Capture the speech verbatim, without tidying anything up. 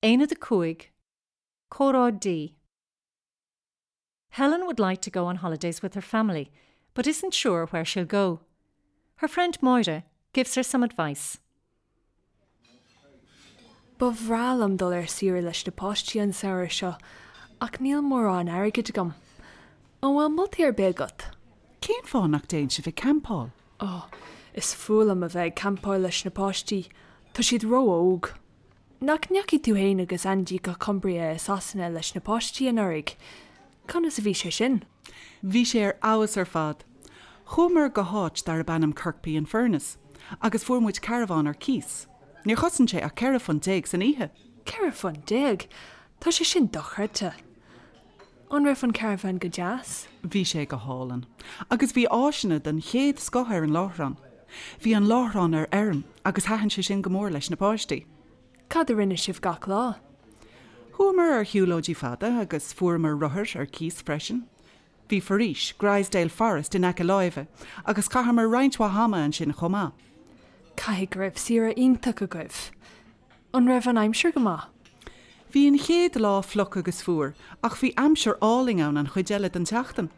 Aonad a cúig, Comhrá D. Helen would like to go on holidays with her family, but isn't sure where she'll go. Her friend Moira gives her some advice. Ba bhreá liom dul ar saoire leis na páistí an samhradh seo, ach níl mórán airgid agam. An bhfuil moltaí ar bith agat? Cén fáth nach dtéann sibh ag campáil? Ó, is fuath liom a bheith ag campáil leis na páistí, Tá siad ró-óg. Nach ndeachaigh tú féin agus Andy go Cumbria i Sasana leis na páistí anuraidh. Conas a bhí sé sin? Bhí sé ar fheabhas ar fad. Chuamar go háit darb ainm Kirkby in Furness, agus fuair muid carbhán ar cíos. Níor chosain sé ach ceithre phunt déag san oíche. Ceithre phunt déag, Tá sé sin dochreidte. An raibh an carbhán go deas? Bhí sé go hálainn, agus bhí áiseanna den chéad scoth ar an láithreán. Bhí an láithreán ar fheirm agus thaitin sé sin go mór leis na páistí. Cad a rinne sibh gach lá? Chuamar ar shiúlóidí fada agus fuaireamar rothair ar cíos freisin. Bhí foraois, Grizedale Forest in aice láimhe, agus chaitheamar roinnt mhaith ama ansin chomh maith. Caithfidh go raibh saoire iontach agaibh. An raibh an aimsir go maith? Bhí an chéad lá fliuch agus fuar, ach bhí aimsir álainn ann an chuid eile den tseachtain.